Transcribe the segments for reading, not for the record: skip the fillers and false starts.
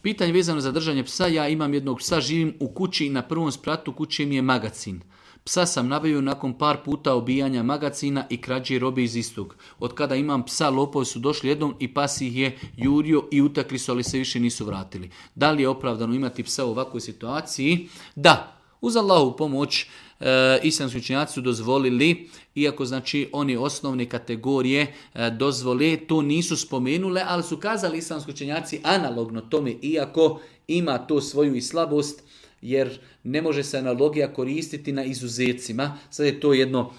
Pitanje vezano za držanje psa. Ja imam jednog psa, živim u kući i na prvom spratu kuće mi je magacin. Psa sam nabavio nakon par puta obijanja magacina i krađe robe iz istog. Od kada imam psa, lopovi su došli jednom i pas ih je jurio i utakli su, ali se više nisu vratili. Da li je opravdano imati psa u ovakvoj situaciji? Da, uz Allahovu pomoć islamski učenjaci su dozvolili, iako znači oni osnovne kategorije dozvole, to nisu spomenule, ali su kazali islamski učenjaci analogno tome, iako ima to svoju i slabost, jer ne može se analogija koristiti na izuzecima. Sad je to jedno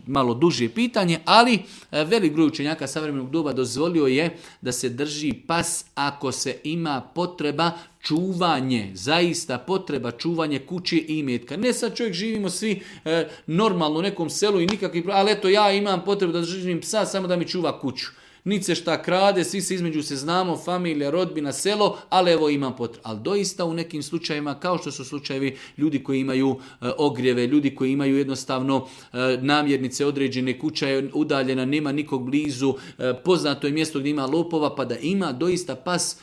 malo duže pitanje, ali velik broj učenjaka savremenog doba dozvolio je da se drži pas ako se ima potreba čuvanje, zaista potreba čuvanje kuće i imetka. Ne sad čovjek živimo svi normalno u nekom selu i nikakvi, ali eto ja imam potrebu da držim psa samo da mi čuva kuću. Niti se šta krade, svi se između se znamo, familija, rodbina, selo, ali evo imam potrebu. Ali doista u nekim slučajevima, kao što su slučajevi ljudi koji imaju ogrijeve, ljudi koji imaju jednostavno namjernice određene, kuća je udaljena, nema nikog blizu, poznato je mjesto gdje ima lopova, pa da ima doista pas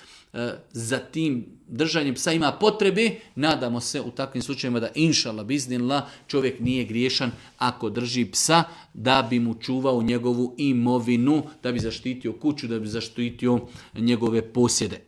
za tim držanjem psa ima potrebe, nadamo se u takvim slučajevima da inšallah biznillah čovjek nije griješan ako drži psa da bi mu čuvao njegovu imovinu, da bi zaštitio kuću, da bi zaštitio njegove posjede.